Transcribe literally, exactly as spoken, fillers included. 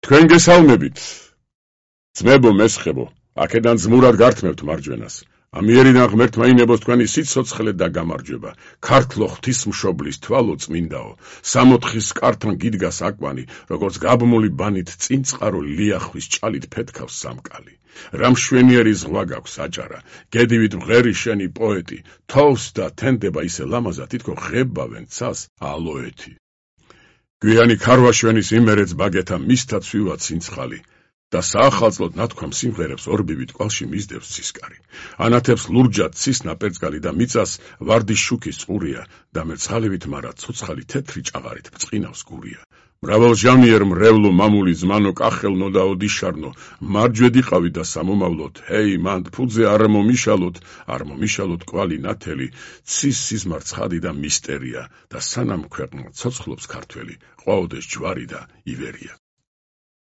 თქვენ გესალმებით. ძმებო, მესხებო, აქედან ძმურად გართმევთ მარჯვენას. ამიერიდან ღმერთმა ინებოს თქვენი სიცოცხლე და გამარჯვება. ქართლო ღვთისმშობლის თვალო წმინდაო, სამოთხის კართან გიდგას აკვანი, როგორც გაბმული ბანით წინწყარო ლიახვის ჭალით ფეთქავს სამკალი. რა მშვენიერი ზღვა გაქვს აჭარა, გედივით მღერი შენი პოეტი, თოვს და თენდება ისე ლამაზა, თითქო ღებავენ ცას ალოეთი. გვიანი ქარვაშვენის იმერეც ბაგეთა მისთა ცვივა ცინცხალი და საახალწლოდ ნათქვამ სიმღერებს ორბივით კვალში მისდევს ცისკარი. ანათებს ლურჯად ცის ნაპერწკალი და მიწას ვარდის შუქის წყურია და მერცხალივით მარა ცოცხალი თეთრი ჭაღარით ბრწყინავს გურია. მრავალჟამიერ მრევლო მამული ზმანო კახელნო და ოდიშარნო მარჯვედიყავი და სამომავლოდ ჰეი მანდ ფუძე არ მომიშალოთ არ მომიშალოთ კვალი ნათელი ცის სიზმარ ცხადი და მისტერია და სანამ ქვეყნა ცოცხლობს ქართველი ყვაოდეს ჯვარი და ივერია.